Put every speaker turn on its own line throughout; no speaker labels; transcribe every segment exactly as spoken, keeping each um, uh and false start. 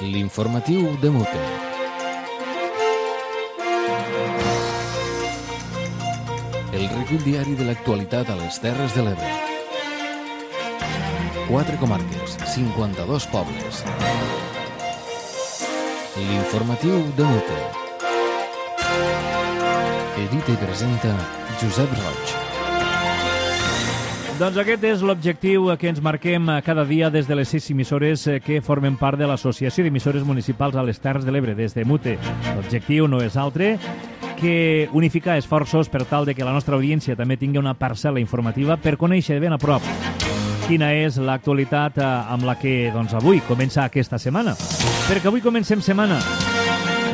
L'informatiu de Mute. El recull diari de l'actualitat a les Terres de l'Ebre. Quatre comarques, cinquanta-dos pobles. L'informatiu de Mute. Edita i presenta Josep Roig.
Doncs aquest és l'objectiu que ens marquem cada dia des de les sis emissores que formen part de l'Associació d'Emissores Municipals a les Terres de l'Ebre, des de Mute. L'objectiu no és altre que unificar esforços per tal de que la nostra audiència també tingui una parcel·la informativa per conèixer de ben a prop quina és l'actualitat amb la que doncs, avui comença aquesta setmana. Perquè avui comencem setmana.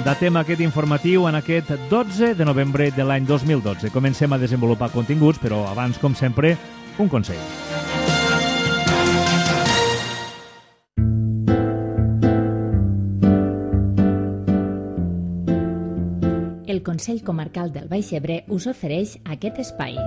Datem aquest informatiu en aquest dotze de novembre de l'any dos mil dotze. Comencem a desenvolupar continguts, però abans, com sempre, un consell.
El Consell Comarcal del Baix Ebre us ofereix aquest espai.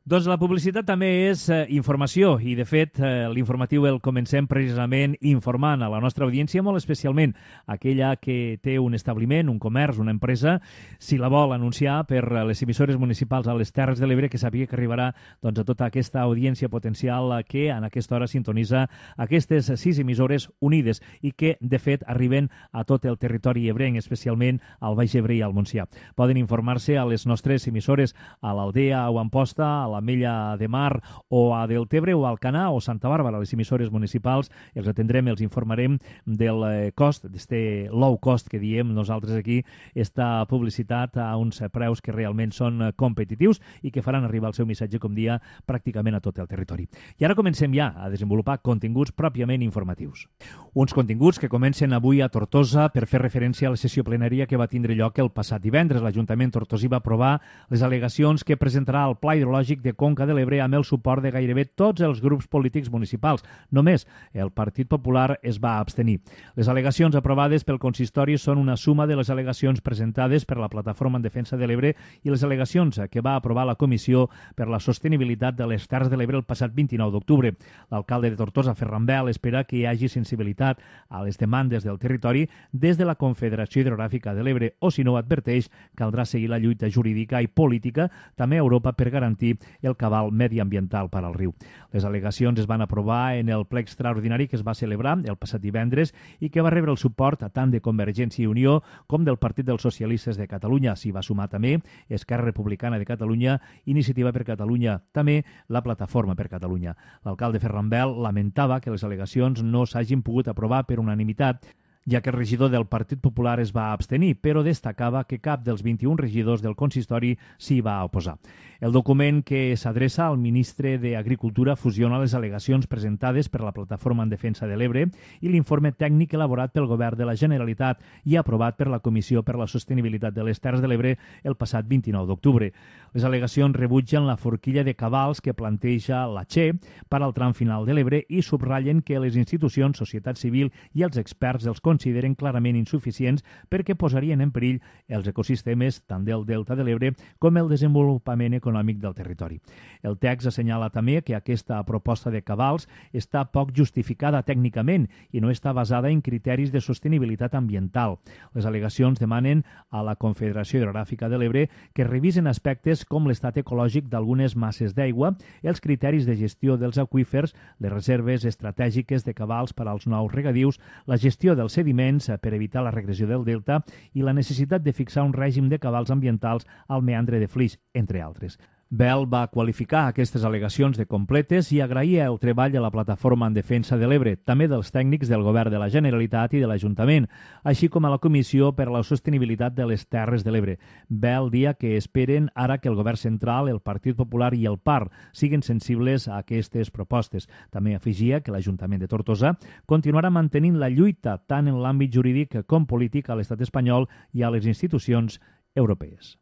Doncs la publicitat també és eh, informació i, de fet, eh, l'informatiu el comencem precisament informant a la nostra audiència, molt especialment aquella que té un establiment, un comerç, una empresa, si la vol anunciar per les emissores municipals a les Terres de l'Ebre, que sàpiga que arribarà doncs, a tota aquesta audiència potencial que en aquesta hora sintonitza aquestes sis emissores unides i que, de fet, arriben a tot el territori ebrenc, especialment al Baix Ebre i al Montsià. Poden informar-se a les nostres emissores a l'Aldea o Amposta, a la Mella de Mar o a Deltebre o a Alcanar o Santa Bàrbara, les emissores municipals. Els atendrem, els informarem del cost, d'este low cost que diem nosaltres aquí, esta publicitat a uns preus que realment són competitius i que faran arribar el seu missatge, com dia, pràcticament a tot el territori. I ara comencem ja a desenvolupar continguts pròpiament informatius. Uns continguts que comencen avui a Tortosa per fer referència a la sessió plenària que va tindre lloc el passat divendres. L'Ajuntament tortosí va aprovar les al·legacions que presentarà el Pla Hidrològic de Conca de l'Ebre amb el suport de gairebé tots els grups polítics municipals. Només el Partit Popular es va abstenir. Les al·legacions aprovades pel consistori són una suma de les al·legacions presentades per la Plataforma en Defensa de l'Ebre i les al·legacions que va aprovar la Comissió per la Sostenibilitat de les Terres de l'Ebre el passat vint-i-nou d'octubre. L'alcalde de Tortosa, Ferran Bel, espera que hi hagi sensibilitat a les demandes del territori des de la Confederació Hidrogràfica de l'Ebre o, si no ho adverteix, caldrà seguir la lluita jurídica i política també a Europa per garantir el cabal mediambiental per al riu. Les al·legacions es van aprovar en el ple extraordinari que es va celebrar el passat divendres i que va rebre el suport tant de Convergència i Unió com del Partit dels Socialistes de Catalunya. S'hi va sumar també Esquerra Republicana de Catalunya, Iniciativa per Catalunya, també la Plataforma per Catalunya. L'alcalde Ferran Bel lamentava que les al·legacions no s'hagin pogut aprovar per unanimitat, ja que el regidor del Partit Popular es va abstenir, però destacava que cap dels vint-i-un regidors del consistori s'hi va oposar. El document que s'adreça al ministre d'Agricultura fusiona les al·legacions presentades per la Plataforma en Defensa de l'Ebre i l'informe tècnic elaborat pel Govern de la Generalitat i aprovat per la Comissió per la Sostenibilitat de les Terres de l'Ebre el passat vint-i-nou d'octubre. Les al·legacions rebutgen la forquilla de cabals que planteja la Che per al tram final de l'Ebre i subratllen que les institucions, societat civil i els experts els consideren clarament insuficients perquè posarien en perill els ecosistemes tant del Delta de l'Ebre com el desenvolupament econòmic del territori. El text assenyala també que aquesta proposta de cabals està poc justificada tècnicament i no està basada en criteris de sostenibilitat ambiental. Les al·legacions demanen a la Confederació Hidrogràfica de l'Ebre que revisen aspectes com l'estat ecològic d'algunes masses d'aigua, els criteris de gestió dels aqüífers, les reserves estratègiques de cabals per als nous regadius, la gestió dels sediments per evitar la regressió del delta i la necessitat de fixar un règim de cabals ambientals al meandre de Flix, entre altres. Bel va qualificar aquestes al·legacions de completes i agraïa el treball de la Plataforma en Defensa de l'Ebre, també dels tècnics del Govern de la Generalitat i de l'Ajuntament, així com a la Comissió per a la Sostenibilitat de les Terres de l'Ebre. Bel dia que esperen ara que el Govern Central, el Partit Popular i el P A R siguin sensibles a aquestes propostes. També afegia que l'Ajuntament de Tortosa continuarà mantenint la lluita tant en l'àmbit jurídic com polític a l'estat espanyol i a les institucions europees.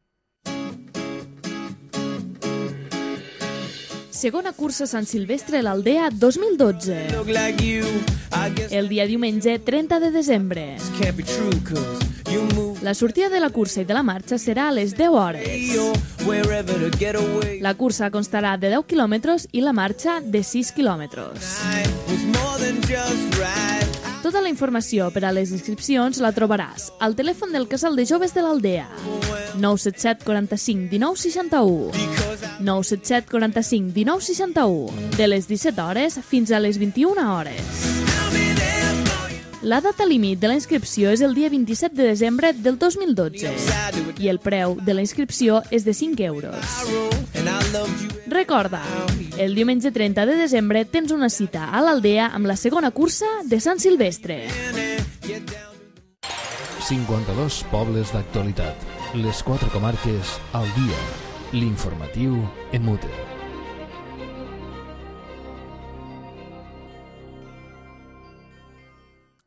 Segona cursa Sant Silvestre a l'Aldea dos mil dotze. El dia diumenge trenta de desembre. La sortida de la cursa i de la marxa serà a les deu hores. La cursa constarà de deu quilòmetres i la marxa de sis quilòmetres. Tota la informació per a les inscripcions la trobaràs al telèfon del Casal de Joves de l'Aldea, nou set set quaranta-cinc dinou seixanta-u, nou set set quaranta-cinc dinou seixanta-u, de les disset hores fins a les vint-i-una hores. La data límit de la inscripció és el dia vint-i-set de desembre del dos mil dotze i el preu de la inscripció és de cinc euros. Recorda, el diumenge trenta de desembre tens una cita a l'Aldea amb la segona cursa de Sant Silvestre.
cinquanta-dos pobles d'actualitat. Les quatre comarques al dia. L'informatiu en mute.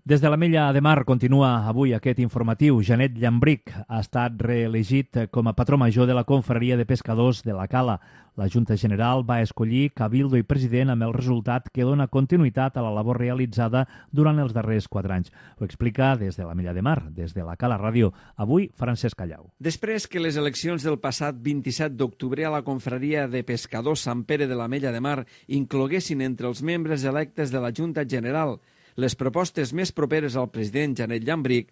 Des de l'Ametlla de Mar continua avui aquest informatiu. Janet Llambric ha estat reelegit com a patró major de la Confraria de Pescadors de la Cala. La Junta General va escollir cabildo i president amb el resultat que dona continuïtat a la labor realitzada durant els darrers quatre anys. Ho explica des de l'Ametlla de Mar, des de la Cala Ràdio. Avui, Francesc Callau.
Després que les eleccions del passat vint-i-set d'octubre a la Confraria de Pescadors Sant Pere de l'Ametlla de Mar incloguessin entre els membres electes de la Junta General les propostes més properes al president Janet Llambric,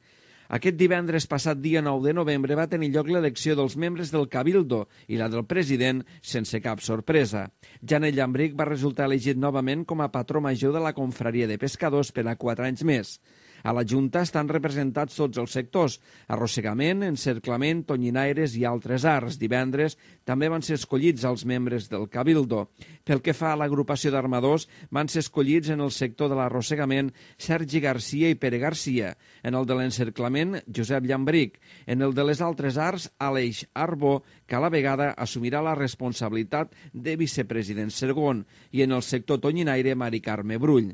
aquest divendres passat dia nou de novembre va tenir lloc l'elecció dels membres del Cabildo i la del president sense cap sorpresa. Janet Llambric va resultar elegit novament com a patró major de la Confraria de Pescadors per a quatre anys més. A la Junta estan representats tots els sectors: arrossegament, encerclament, tonyinaires i altres arts. Divendres també van ser escollits els membres del Cabildo. Pel que fa a l'agrupació d'armadors, van ser escollits en el sector de l'arrossegament Sergi Garcia i Pere Garcia, en el de l'encerclament Josep Llambric, en el de les altres arts Aleix Arbó, que a la vegada assumirà la responsabilitat de vicepresident segon, i en el sector tonyinaire Mari Carme Brull.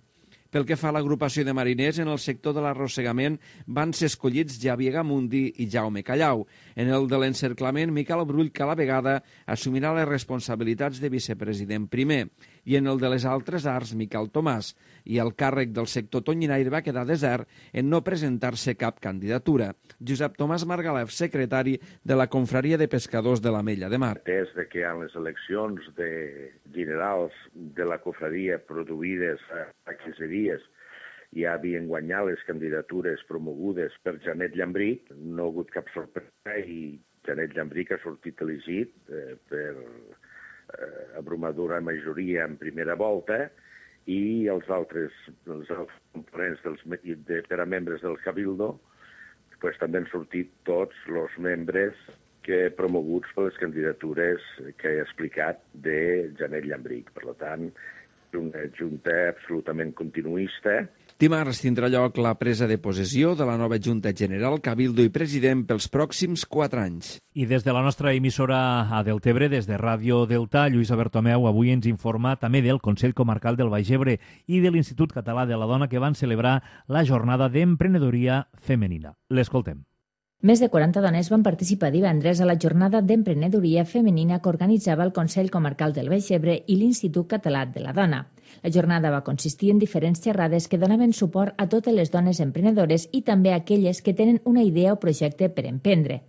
Pel que fa a l'agrupació de mariners, en el sector de l'arrossegament van ser escollits Javier Gamundi i Jaume Callau. En el de l'encerclament, Miquel Brull, que a la vegada assumirà les responsabilitats de vicepresident primer. I en el de les altres arts, Miquel Tomàs. I el càrrec del sector tonyinaire va quedar desert en no presentar-se cap candidatura. Josep Tomàs Margalef, secretari de la Confraria de Pescadors de l'Ametlla de Mar.
Des de que hi ha les eleccions de generals de la confraria produïdes a quinze dies ja havien guanyat les candidatures promogudes per Janet Llambric, no ha hagut cap sorpresa i Janet Llambric ha sortit elegit eh, per eh, abrumadora majoria en primera volta, i els altres, els altres components dels, de, per a membres del Cabildo pues, també han sortit tots els membres que promoguts per les candidatures que he explicat de Janet Llambric. Per tant, una junta absolutament continuista.
Dimarts tindrà lloc la presa de possessió de la nova Junta General, Cabildo i President pels pròxims quatre anys.
I des de la nostra emissora a Deltebre, des de Ràdio Delta, Lluïsa Bertomeu avui ens informa també del Consell Comarcal del Baix Ebre i de l'Institut Català de la Dona, que van celebrar la jornada d'emprenedoria femenina. L'escoltem.
Més de quaranta dones van participar divendres a la jornada d'emprenedoria femenina que organitzava el Consell Comarcal del Baix Ebre i l'Institut Català de la Dona. La jornada va consistir en diferents xerrades que donaven suport a totes les dones emprenedores i també a aquelles que tenen una idea o projecte per emprendre.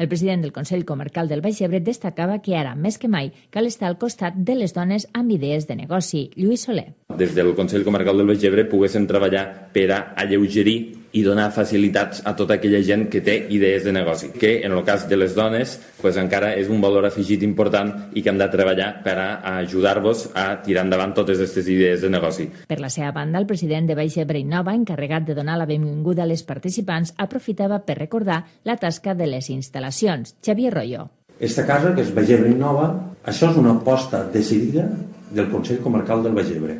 El president del Consell Comarcal del Baix Ebre destacava que ara, més que mai, cal estar al costat de les dones amb idees de negoci. Lluís Soler.
Des del Consell Comarcal del Baix Ebre poguéssim treballar per a alleugerir i donar facilitats a tota aquella gent que té idees de negoci, que en el cas de les dones pues, encara és un valor afegit important i que hem de treballar per a ajudar-vos a tirar endavant totes aquestes idees de negoci.
Per la seva banda, el president de Baix Ebre Innova, encarregat de donar la benvinguda a les participants, aprofitava per recordar la tasca de les instal·lacions. Xavier Royo.
Esta casa, que és Baix Ebre Innova, això és una aposta decidida del Consell Comarcal del Baix Ebre,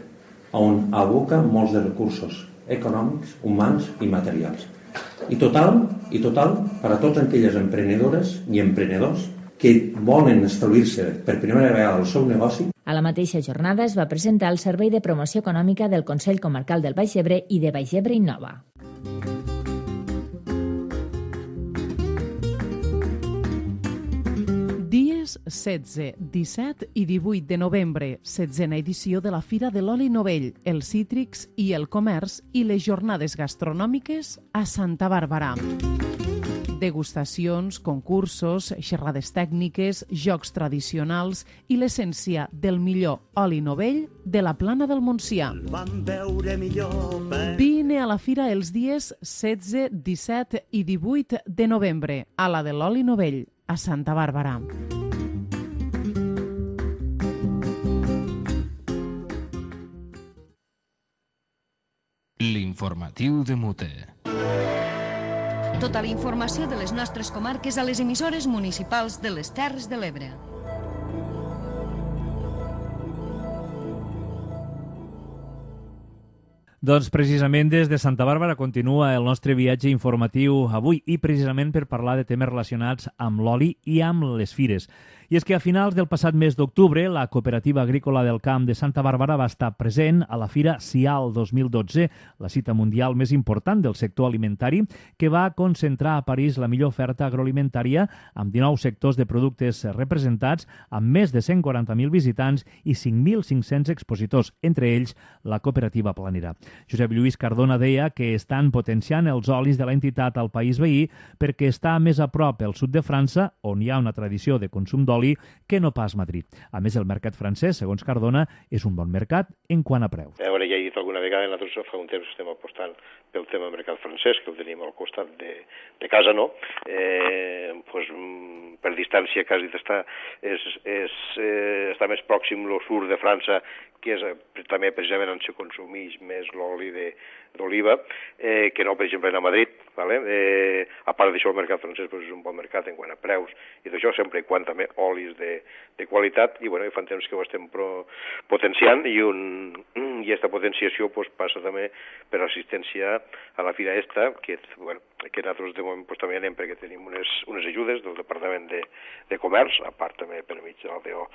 on aboca molts de recursos econòmics, humans i materials. I total, i total per a totes aquelles emprenedores i emprenedors que volen establir-se per primera vegada el seu negoci.
A la mateixa jornada es va presentar el Servei de Promoció Econòmica del Consell Comarcal del Baix Ebre i de Baix Ebre Innova.
Dies setze, disset i divuit de novembre, setzena edició de la Fira de l'Oli Novell, els cítrics i el comerç i les jornades gastronòmiques a Santa Bàrbara. Degustacions, concursos, xerrades tècniques, jocs tradicionals i l'essència del millor oli novell de la Plana del Montsià. Vine a la fira els dies setze, disset i divuit de novembre a la de l'oli novell, a Santa Bàrbara.
L'informatiu de Mute.
Tota la informació de les nostres comarques a les emissores municipals de les Terres de l'Ebre.
Doncs precisament des de Santa Bàrbara continua el nostre viatge informatiu avui i precisament per parlar de temes relacionats amb l'oli i amb les fires. I és que a finals del passat mes d'octubre la Cooperativa Agrícola del Camp de Santa Bàrbara va estar present a la Fira Sial dos mil dotze, la cita mundial més important del sector alimentari, que va concentrar a París la millor oferta agroalimentària amb dinou sectors de productes representats, amb més de cent quaranta mil visitants i cinc mil cinc-cents expositors, entre ells la Cooperativa Planera. Josep Lluís Cardona deia que estan potenciant els olis de l'entitat al país veí perquè està més a prop el sud de França, on hi ha una tradició de consum d'oli, que no pas Madrid. A més, el mercat francès, segons Cardona, és un bon mercat en quant a preus.
A veure, ja he dit alguna vegada, nosaltres fa un temps estem apostant pel tema del mercat francès, que el tenim al costat de, de casa, no? Eh, pues, per distància quasi està, és, és, eh, està més pròxim el sud de França, que és també precisament on se consumeix més l'oli d'oliva, eh, que no, per exemple, a Madrid. Vale? Eh, a part d'això, el mercat francès pues, és un bon mercat en quant a preus i d'això, sempre i quan també olis de, de qualitat, i bueno, i fan temps que ho estem pro, potenciant, i, un, i aquesta potenciació pues, passa també per assistència a la fira esta, que, bueno, que nosaltres de moment pues, també anem perquè tenim unes, unes ajudes del Departament de, de Comerç, a part també per mig de l'A D O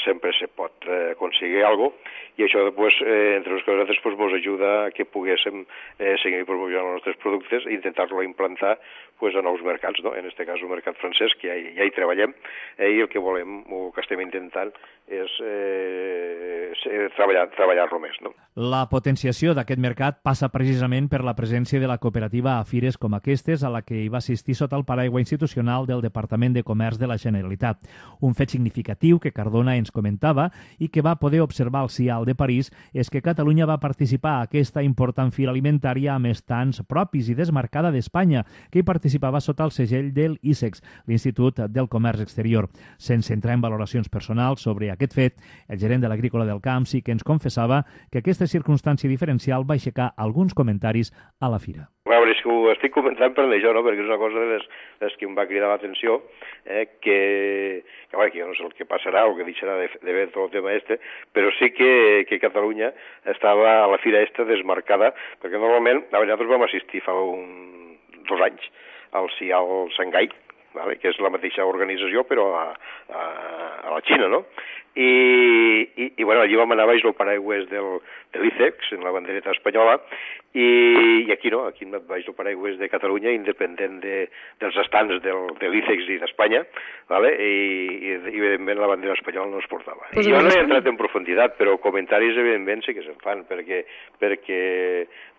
sempre se pot eh, aconseguir alguna cosa, i això pues, eh, entre les coses pues, ens ajuda a que poguéssim eh, seguir promocionant els nostres productes i intentar-lo implantar pues, a nous mercats, no? En aquest cas el mercat francès, que ja, ja hi treballem, eh, i el que volem, o que estem intentant, és eh, treballar, treballar-lo més. No?
La potenciació d'aquest mercat passa precisament per la presència de la cooperativa a fires com aquestes, a la que hi va assistir sota el paraigua institucional del Departament de Comerç de la Generalitat. Un fet significatiu que Cardona ens comentava i que va poder observar al Sial de París és que Catalunya va participar a aquesta important fira alimentària amb estants propis i desmarcada d'Espanya, que hi participava sota el segell del I S E X, l'Institut del Comerç Exterior. Sense entrar en valoracions personals sobre aquest fet, el gerent de l'Agrícola del Camp sí que ens confessava que aquesta circumstància diferencial va aixecar alguns comentaris a la fira.
A veure, és que ho estic comentant per això, no? Perquè és una cosa de les, les que em va cridar l'atenció, eh, que, que, bueno, que jo no sé el que passarà o que deixarà de, de ver tot el tema este, però sí que, que Catalunya estava a la fira esta desmarcada, perquè normalment, a veure, nosaltres vam assistir fa un, dos anys al Sial Shanghai, vale? Que és la mateixa organització, però a, a, a la Xina, no? I, i, i bueno, allí vam anar baix el paraigües del, de l'I C E X, en la bandereta espanyola, i, i aquí no, aquí hem anat baix el paraigües de Catalunya, independent de, dels estants del, de l'I C E X i d'Espanya, vale? I, i, i evidentment la bandera espanyola no es portava. Pues jo no he entrat en profunditat, però comentaris evidentment sí que se'n fan, perquè, perquè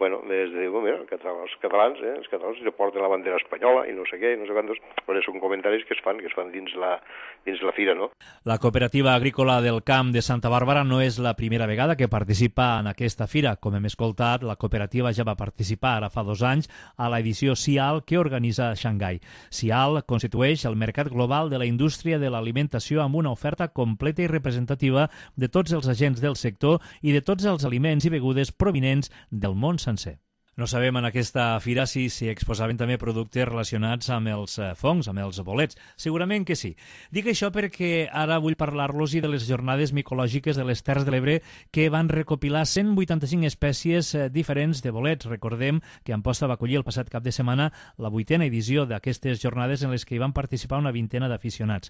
bueno, des de, bueno, mira, els catalans, eh, els catalans se porten la bandera espanyola i no sé què, no sé quantos, però són comentaris que es fan, que es fan dins la, dins la fira, no?
La Cooperativa Agrícola del Camp de Santa Bàrbara no és la primera vegada que participa en aquesta fira. Com hem escoltat, la cooperativa ja va participar ara fa dos anys a l'edició Sial que organitza Shanghai. Sial constitueix el mercat global de la indústria de l'alimentació amb una oferta completa i representativa de tots els agents del sector i de tots els aliments i begudes provinents del món sencer. No sabem en aquesta fira si s'hi exposaven també productes relacionats amb els fongs, amb els bolets. Segurament que sí. Dic això perquè ara vull parlar-los de les jornades micològiques de les Terres de l'Ebre que van recopilar cent vuitanta-cinc espècies diferents de bolets. Recordem que Amposta va acollir el passat cap de setmana la vuitena edició d'aquestes jornades en les que hi van participar una vintena d'aficionats.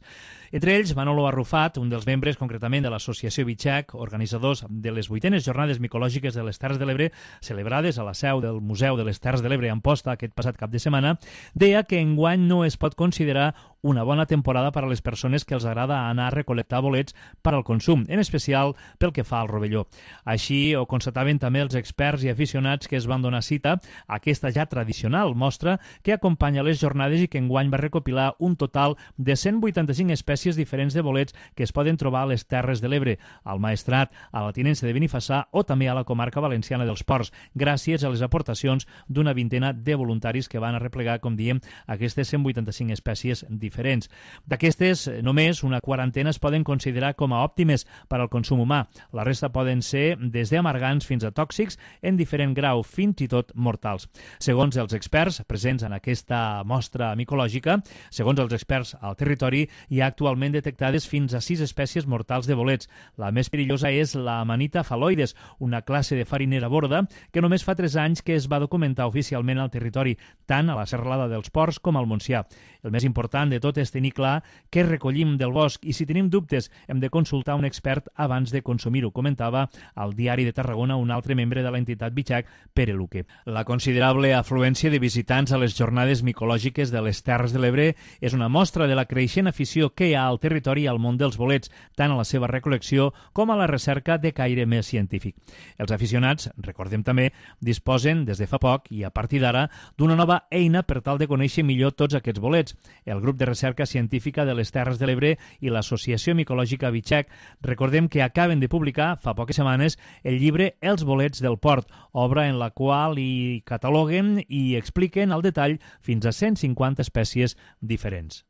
Entre ells, Manolo Arrufat, un dels membres concretament de l'associació Bitxac, organitzadors de les vuitenes jornades micològiques de les Terres de l'Ebre, celebrades a la seu del Museu de les Terres de l'Ebre a Amposta aquest passat cap de setmana, deia que enguany no es pot considerar una bona temporada per a les persones que els agrada anar a recol·lectar bolets per al consum, en especial pel que fa al rovelló. Així ho constataven també els experts i aficionats que es van donar cita a aquesta ja tradicional mostra que acompanya les jornades i que enguany va recopilar un total de cent vuitanta-cinc espècies diferents de bolets que es poden trobar a les Terres de l'Ebre, al Maestrat, a la Tinença de Benifassà o també a la comarca valenciana dels Ports, gràcies a les aportacions d'una vintena de voluntaris que van arreplegar, com diem, aquestes cent vuitanta-cinc espècies diferents. D'aquestes, només una quarantena es poden considerar com a òptimes per al consum humà. La resta poden ser des d'amargants fins a tòxics en diferent grau, fins i tot mortals. Segons els experts presents en aquesta mostra micològica, segons els experts al territori, hi ha actualment detectades fins a sis espècies mortals de bolets. La més perillosa és la Amanita phalloides, una classe de farinera borda que només fa tres anys que es va documentar oficialment al territori, tant a la Serralada dels Ports com al Montsià. El més important de tot és tenir clar què recollim del bosc i si tenim dubtes hem de consultar un expert abans de consumir-ho, comentava al Diari de Tarragona un altre membre de l'entitat Bitxac, Pere Luque. La considerable afluència de visitants a les jornades micològiques de les Terres de l'Ebre és una mostra de la creixent afició que hi ha al territori i al món dels bolets, tant a la seva recol·lecció com a la recerca de caire més científic. Els aficionats, recordem també, disposen des de fa poc i a partir d'ara d'una nova eina per tal de conèixer millor tots aquests bolets. El grup de recerca científica de les Terres de l'Ebre i l'Associació Micològica Bitxac, recordem que acaben de publicar fa poques setmanes el llibre Els bolets del port, obra en la qual hi cataloguen i expliquen al detall fins a cent cinquanta espècies diferents.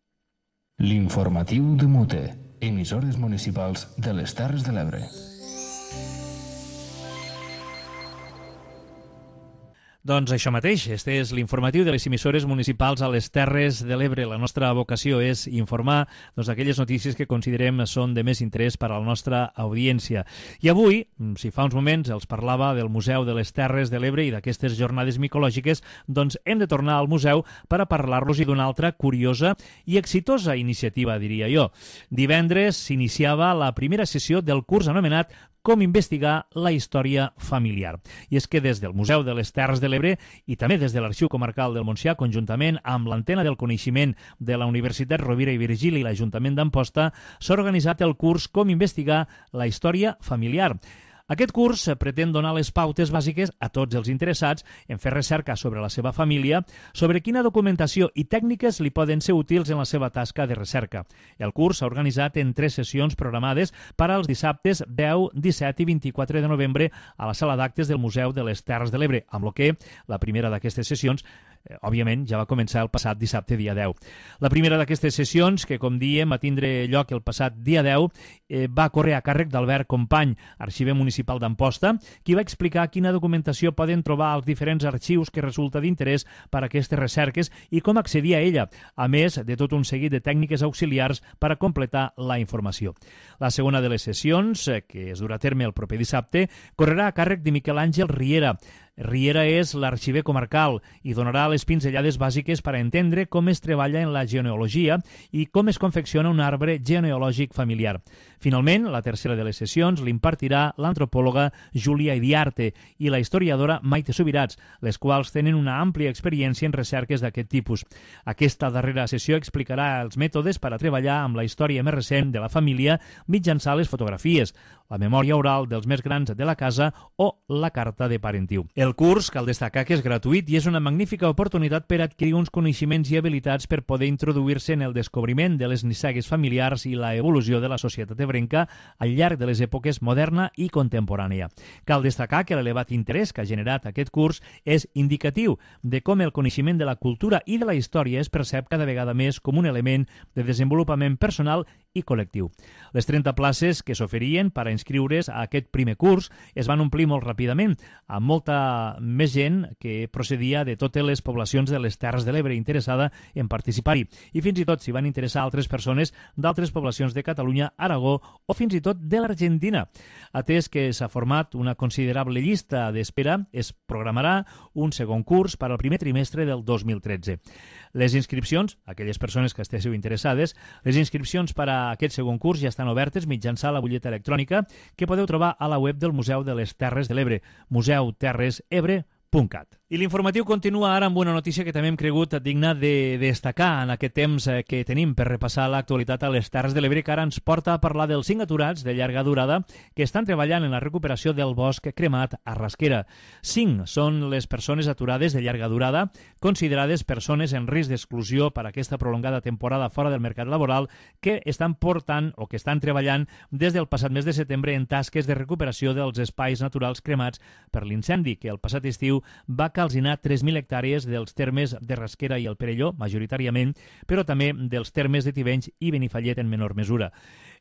L'informatiu de Mute, emissores municipals de les Terres de l'Ebre.
Doncs això mateix, este és l'informatiu de les emissores municipals a les Terres de l'Ebre. La nostra vocació és informar doncs, aquelles notícies que considerem són de més interès per a la nostra audiència. I avui, si fa uns moments els parlava del Museu de les Terres de l'Ebre i d'aquestes jornades micològiques, doncs hem de tornar al museu per a parlar-los d'una altra curiosa i exitosa iniciativa, diria jo. Divendres s'iniciava la primera sessió del curs anomenat Com investigar la història familiar. I és que des del Museu de les Terres de l'Ebre i també des de l'Arxiu Comarcal del Montsià, conjuntament amb l'Antena del Coneixement de la Universitat Rovira i Virgili i l'Ajuntament d'Amposta, s'ha organitzat el curs Com investigar la història familiar. Aquest curs pretén donar les pautes bàsiques a tots els interessats en fer recerca sobre la seva família, sobre quina documentació i tècniques li poden ser útils en la seva tasca de recerca. El curs s'ha organitzat en tres sessions programades per als dissabtes deu, disset i vint-i-quatre de novembre a la sala d'actes del Museu de les Terres de l'Ebre, amb el que la primera d'aquestes sessions Eh, òbviament, ja va començar el passat dissabte, dia deu. La primera d'aquestes sessions, que com diem va tindre lloc el passat dia deu, eh, va córrer a càrrec d'Albert Company, arxiver municipal d'Amposta, qui va explicar quina documentació poden trobar als diferents arxius que resulta d'interès per a aquestes recerques i com accedir a ella, a més de tot un seguit de tècniques auxiliars per a completar la informació. La segona de les sessions, eh, que es durà a terme el proper dissabte, correrà a càrrec de Miquel Àngel Riera. Riera és l'arxiver comarcal i donarà les pinzellades bàsiques per a entendre com es treballa en la genealogia i com es confecciona un arbre genealògic familiar. Finalment, la tercera de les sessions l'impartirà l'antropòloga Júlia Idiarte i la historiadora Maite Subirats, les quals tenen una àmplia experiència en recerques d'aquest tipus. Aquesta darrera sessió explicarà els mètodes per a treballar amb la història més recent de la família mitjançant les fotografies, la memòria oral dels més grans de la casa o la carta de parentiu. El curs, cal destacar que és gratuït i és una magnífica oportunitat per adquirir uns coneixements i habilitats per poder introduir-se en el descobriment de les nissagues familiars i la evolució de la societat ebrenca al llarg de les èpoques moderna i contemporània. Cal destacar que l'elevat interès que ha generat aquest curs és indicatiu de com el coneixement de la cultura i de la història es percep cada vegada més com un element de desenvolupament personal i col·lectiu. Les trenta places que s'oferien per a inscriure's a aquest primer curs es van omplir molt ràpidament, amb molta més gent que procedia de totes les poblacions de les Terres de l'Ebre interessada en participar-hi, i fins i tot s'hi van interessar altres persones d'altres poblacions de Catalunya, Aragó o fins i tot de l'Argentina. Atès que s'ha format una considerable llista d'espera, es programarà un segon curs per al primer trimestre del dos mil tretze. Les inscripcions, aquelles persones que estéssiu interessades, les inscripcions per a aquest segon curs ja estan obertes mitjançant la butlleta electrònica que podeu trobar a la web del Museu de les Terres de l'Ebre, museu terres ebre punt cat. I l'informatiu continua ara amb una notícia que també hem cregut digna de destacar en aquest temps que tenim per repassar l'actualitat a les Terres de l'Ebre, que ara ens porta a parlar dels cinc aturats de llarga durada que estan treballant en la recuperació del bosc cremat a Rasquera. Cinc són les persones aturades de llarga durada, considerades persones en risc d'exclusió per aquesta prolongada temporada fora del mercat laboral, que estan portant o que estan treballant des del passat mes de setembre en tasques de recuperació dels espais naturals cremats per l'incendi que el passat estiu va calcinar tres mil hectàrees dels termes de Rasquera i el Perelló, majoritàriament, però també dels termes de Tivenys i Benifallet en menor mesura.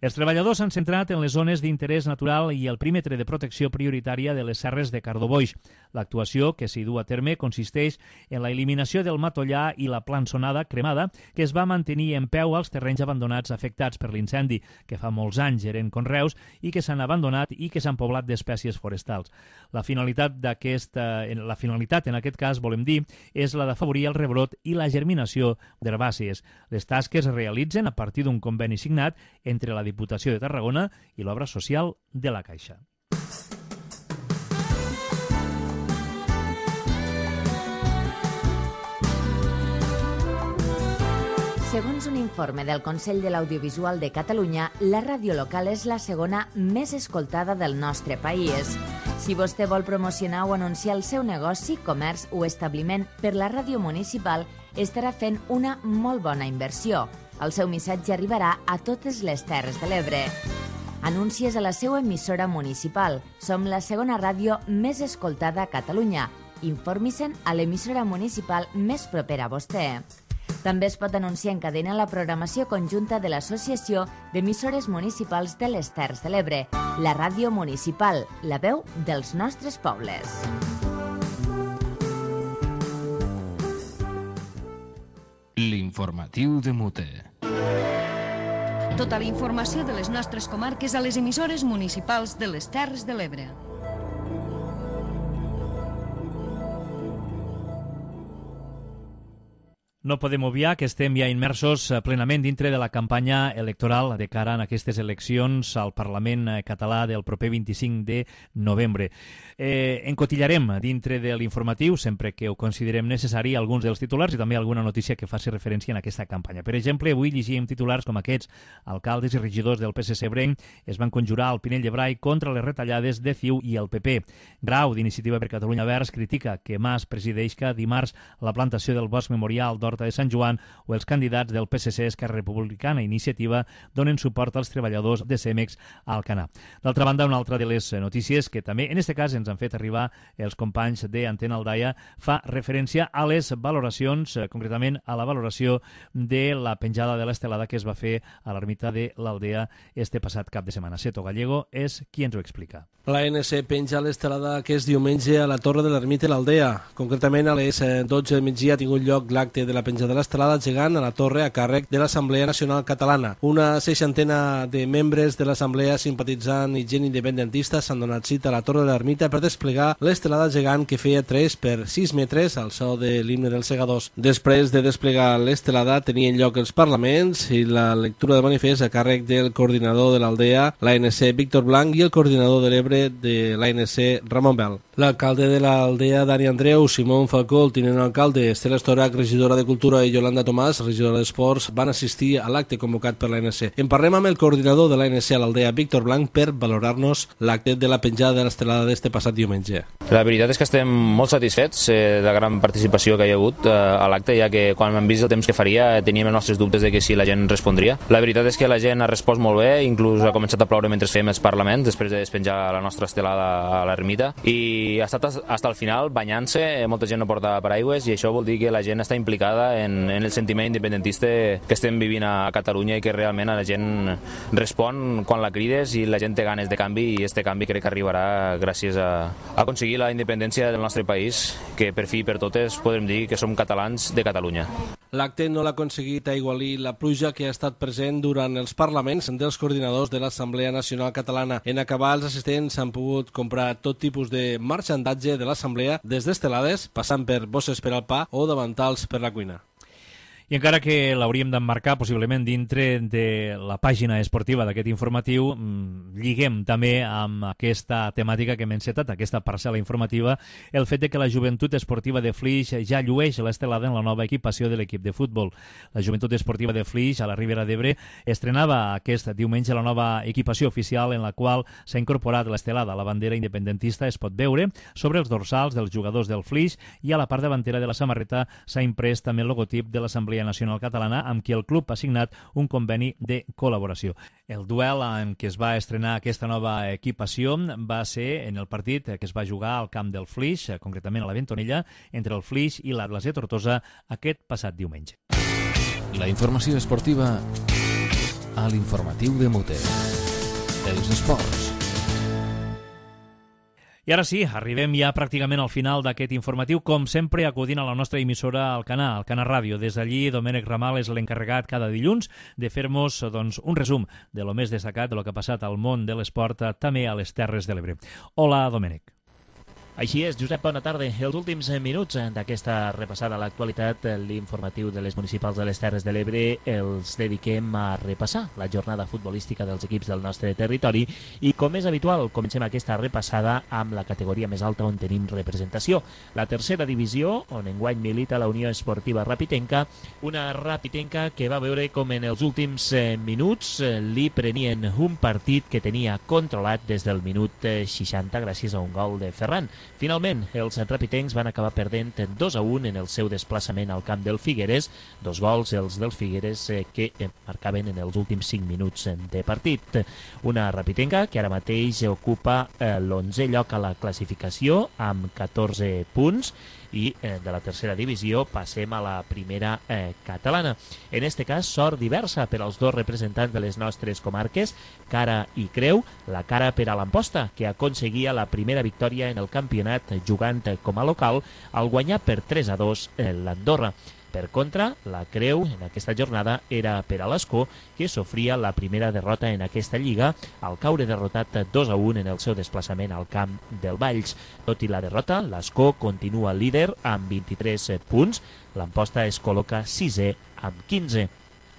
Els treballadors s'han centrat en les zones d'interès natural i el perímetre de protecció prioritària de les serres de Cardoboix. L'actuació que s'hi du a terme consisteix en la eliminació del matollà i la plançonada cremada que es va mantenir en peu als terrenys abandonats afectats per l'incendi, que fa molts anys eren conreus i que s'han abandonat i que s'han poblat d'espècies forestals. La finalitat d'aquesta, la finalitat en aquest cas, volem dir, és la d'afavorir el rebrot i la germinació d'herbàcies. Les tasques es realitzen a partir d'un conveni signat entre la Diputació de Tarragona i l'obra social de la Caixa.
Segons un informe del Consell de l'Audiovisual de Catalunya, la ràdio local és la segona més escoltada del nostre país. Si vostè vol promocionar o anunciar el seu negoci, comerç o establiment per la ràdio municipal, estarà fent una molt bona inversió. El seu missatge arribarà a totes les Terres de l'Ebre. Anuncies a la seva emissora municipal. Som la segona ràdio més escoltada a Catalunya. Informi-se'n a l'emissora municipal més propera a vostè. També es pot anunciar en cadena la programació conjunta de l'Associació d'Emissores Municipals de les Terres de l'Ebre, la ràdio municipal, la veu dels nostres pobles.
L'informatiu de Mute.
Tota la informació de les nostres comarques a les emissores municipals de les Terres de l'Ebre.
No podem obviar que estem ja immersos plenament dintre de la campanya electoral de cara a aquestes eleccions al Parlament català del proper vint-i-cinc de novembre. Eh, encotillarem dintre de l'informatiu, sempre que ho considerem necessari, alguns dels titulars i també alguna notícia que faci referència en aquesta campanya. Per exemple, avui llegíem titulars com aquests. Alcaldes i regidors del P S C ebrenc es van conjurar al Pinell de Brai contra les retallades de C I U i el P P. Grau, d'Iniciativa per Catalunya Verds, critica que Mas presideixca dimarts la plantació del bosc memorial d'Horta de Sant Joan, o els candidats del P S C, Esquerra Republicana i Iniciativa donen suport als treballadors de Cemex a Alcanar. D'altra banda, una altra de les notícies que també, en aquest cas, ens han fet arribar els companys d'Antena Aldaia fa referència a les valoracions, concretament a la valoració de la penjada de l'estelada que es va fer a l'ermita de l'Aldea este passat cap de setmana. Seto Gallego és qui ens ho explica.
La N C penja l'estelada aquest diumenge a la Torre de l'Ermita de l'Aldea. Concretament, a les dotze del migdia ha tingut lloc l'acte de la penjada de l'estelada gegant a la Torre a càrrec de l'Assemblea Nacional Catalana. Una seixantena de membres de l'Assemblea, simpatitzant i gent independentista s'han donat cita a la Torre de l'Ermita per desplegar l'estelada gegant que feia tres per sis metres al so de l'himne dels segadors. Després de desplegar l'estelada tenien lloc els parlaments i la lectura de manifest a càrrec del coordinador de l'Aldea, l'A N C Víctor Blanc, i el coordinador de l'Ebre de l'A N C Ramon Bel. L'alcalde de l'Aldea, Dani Andreu, Simón Falcó, el tinent alcalde, Estela Estorac, regidora de Cultura, i Yolanda Tomàs, regidora d'Esports, van assistir a l'acte convocat per l'A N C. En parlem amb el coordinador de l'A N C a l'Aldea, Víctor Blanc, per valorar-nos l'acte de la penjada de l'estelada d'este passat diumenge.
La veritat és que estem molt satisfets eh, de la gran participació que hi ha hagut eh, a l'acte, ja que quan hem vist el temps que faria eh, teníem els nostres dubtes de que si la gent respondria. La veritat és que la gent ha respost molt bé, inclús ha començat a ploure mentre fèiem els parlaments, després de despenjar la nostra estelada a l'ermita, i ha estat fins al final banyant-se, molta gent no portava paraigües, i això vol dir que la gent està implicada en, en el sentiment independentista que estem vivint a Catalunya, i que realment la gent respon quan la crides i la gent té ganes de canvi, i este canvi crec que arribarà gràcies a, a aconseguir la independència del nostre país, que per fi i per totes podem dir que som catalans de Catalunya.
L'acte no l'ha aconseguit aigualir la pluja que ha estat present durant els parlaments dels coordinadors de l'Assemblea Nacional Catalana. En acabar, els assistents han pogut comprar tot tipus de marxandatge de l'Assemblea, des d'estelades, passant per bosses per al pa o davantals per la cuina.
I encara que l'hauríem d'emmarcar possiblement dintre de la pàgina esportiva d'aquest informatiu, lliguem també amb aquesta temàtica que hem encetat, aquesta parcel·la informativa, el fet de que la Joventut Esportiva de Flix ja llueix l'estelada en la nova equipació de l'equip de futbol. La Joventut Esportiva de Flix, a la Ribera d'Ebre, estrenava aquest diumenge la nova equipació oficial en la qual s'ha incorporat l'estelada. La bandera independentista es pot veure sobre els dorsals dels jugadors del Flix i a la part davantera de la samarreta s'ha imprès també el logotip de l'Assemblea Nacional Catalana, amb qui el club ha signat un conveni de col·laboració. El duel en què es va estrenar aquesta nova equipació va ser en el partit que es va jugar al camp del Flix, concretament a la Ventonella, entre el Flix i l'Atlas de Tortosa aquest passat diumenge.
La informació esportiva a l'informatiu de Mute. Els esports.
I ara sí, arribem ja pràcticament al final d'aquest informatiu, com sempre acudint a la nostra emissora al Canà, al Canà Ràdio. Des d'allí, Domènec Ramal és l'encarregat cada dilluns de fer-nos doncs, un resum de lo més destacat de lo que ha passat al món de l'esport, també a les Terres de l'Ebre. Hola, Domènec.
Així és, Josep, bona tarda. Els últims minuts d'aquesta repassada a l'actualitat, l'informatiu de les municipals de les Terres de l'Ebre, els dediquem a repassar la jornada futbolística dels equips del nostre territori i, com és habitual, comencem aquesta repassada amb la categoria més alta on tenim representació. La tercera divisió, on enguany milita la Unió Esportiva Rapitenca, una Rapitenca que va veure com en els últims minuts li prenien un partit que tenia controlat des del minut seixanta gràcies a un gol de Ferran. Finalment, els rapitencs van acabar perdent dos a un en el seu desplaçament al camp del Figueres, dos gols els dels Figueres que marcaven en els últims cinc minuts de partit. Una rapitenca que ara mateix ocupa l'onzè lloc a la classificació amb catorze punts i eh, de la tercera divisió passem a la primera eh, catalana. En este cas, sort diversa per als dos representants de les nostres comarques, Cara i Creu. La Cara per a l'Amposta, que aconseguia la primera victòria en el campionat jugant com a local al guanyar per tres a dos eh, l'Andorra. Per contra, la Creu en aquesta jornada era per a l'Escó, que sofria la primera derrota en aquesta lliga al caure derrotat dos a un en el seu desplaçament al camp del Valls. Tot i la derrota, l'Escó continua líder amb vint-i-tres punts, l'Amposta es col·loca sisè amb quinze.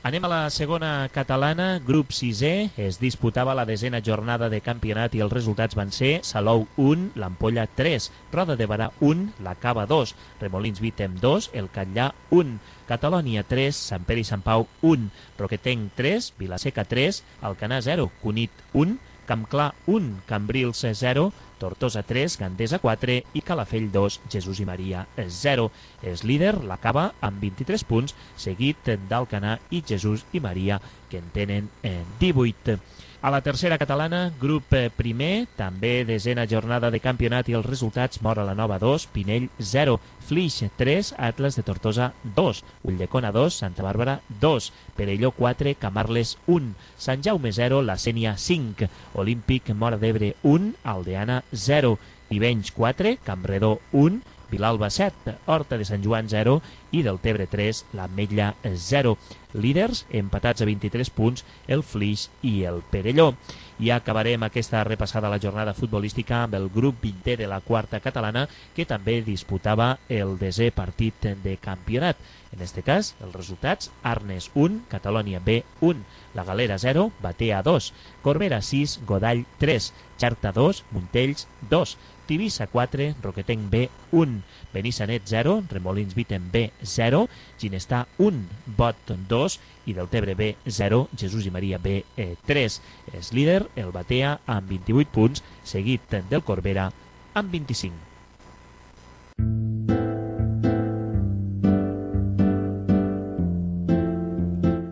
Anem a la segona catalana, grup sisè, es disputava la desena jornada de campionat i els resultats van ser Salou un, l'Ampolla tres, Roda de Barà un, la Cava dos, Remolins Vítem dos, el Catllà un, Catalònia tres, Sant Pere i Sant Pau un, Roquetenc tres, Vilaseca tres, Alcanar zero, Cunit un, Campclar un, Cambrils zero, Tortosa tres, Gandesa quatre i Calafell dos, Jesús i Maria zero. És líder la Cava amb vint-i-tres punts, seguit d'Alcanar i Jesús i Maria, que en tenen divuit. A la tercera catalana, grup primer, també desena jornada de campionat i els resultats: Móra la Nova dos, Pinell zero, Flix tres, Atlas de Tortosa dos, Ulldecona dos, Santa Bàrbara dos, Perelló quatre, Camarles un, Sant Jaume zero, La Sénia cinc, Olímpic Móra d'Ebre un, Aldeana zero, Tivenys quatre, Campredó un, Vilalba set, Horta de Sant Joan zero i Deltebre tres, l'Ametlla zero. Líders empatats a vint-i-tres punts, el Flix i el Perelló. I acabarem aquesta repassada a la jornada futbolística amb el grup vintè de la quarta catalana, que també disputava el desè partit de campionat. En este cas, els resultats: Arnes un, Catalònia B un, La Galera zero, Batea dos, Corbera sis, Godall tres, Xerta dos, Montells dos, Tivissa quatre, Roquetenc B un, Benissanet zero, Remolins Vítem B zero, Ginestar un, Bot dos i Deltebre B zero, Jesús i Maria B tres. És líder el Batea amb vint-i-vuit punts, seguit del Corbera amb vint-i-cinc.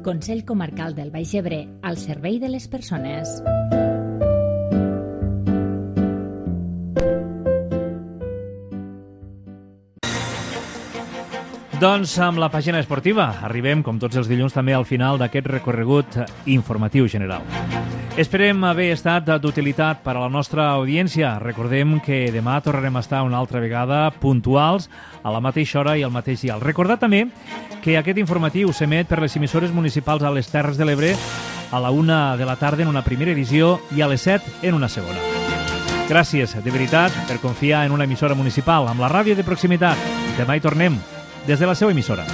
Consell Comarcal del Baix Ebre, al servei de les persones.
Doncs amb la pàgina esportiva arribem, com tots els dilluns, també al final d'aquest recorregut informatiu general. Esperem haver estat d'utilitat per a la nostra audiència. Recordem que demà tornarem a estar una altra vegada puntuals a la mateixa hora i al mateix dia. Recordar també que aquest informatiu s'emet per les emissores municipals a les Terres de l'Ebre a la una de la tarda en una primera edició i a les set en una segona. Gràcies, de veritat, per confiar en una emissora municipal amb la ràdio de proximitat. Demà hi tornem des de la seva emissora.